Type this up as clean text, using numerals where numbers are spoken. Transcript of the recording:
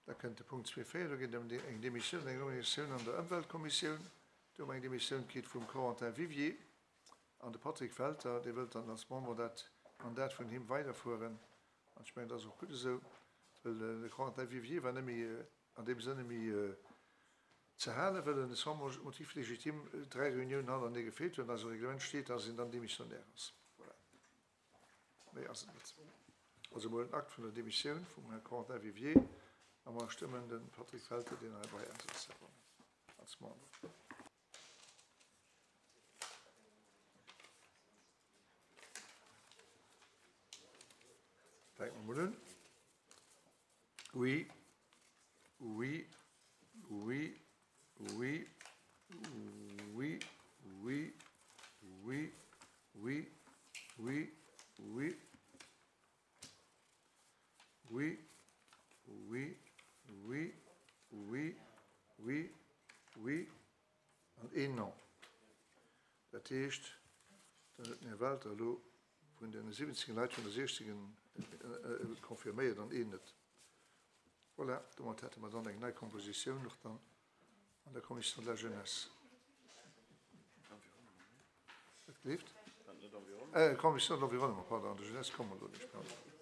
Da kënnt de Punkt 2.4, do geet et ëm eng Demissioun, eng Nominatioun an der Ëmweltkommissioun. Do hu mer eng Demissioun kritt vum Corentin Vivier an de Patrick Welter, dee wëllt dann als Member dat Mandat vun him weiderfueren. An ech mengen, dat ass och gutt esou, well de Corentin Vivier war net méi an deem Sënne méi ze halen, well en sans motif légitime dräi Reuniounen hannerenee gefeelt huet. An eisem Reglement steet, dass een dann Demissionnaire ass. Voilà. Méi ass et net. Also mol den Akt vun der Demissioun vum Här Corentin Vivier a mer stëmmen de Patrick Welter, deen hei bei eis ass, als Member. Fänke mer mol un. Oui, oui, oui, oui, oui, oui, oui, oui, oui, oui, oui, oui, oui, oui, oui, oui an een Non. Dat heescht, dann huet den Här Welter elo vun den 17 Leit vun der 16 confirméiert an een net. Voilà, domat hätte mer dann eng nei Kompositioun och dann an der Commission de la Jeunesse. Wat gleeft? Äh, Commission de l'Environnement, pardon, an der Jeunesse komme mer elo nicht, pardon.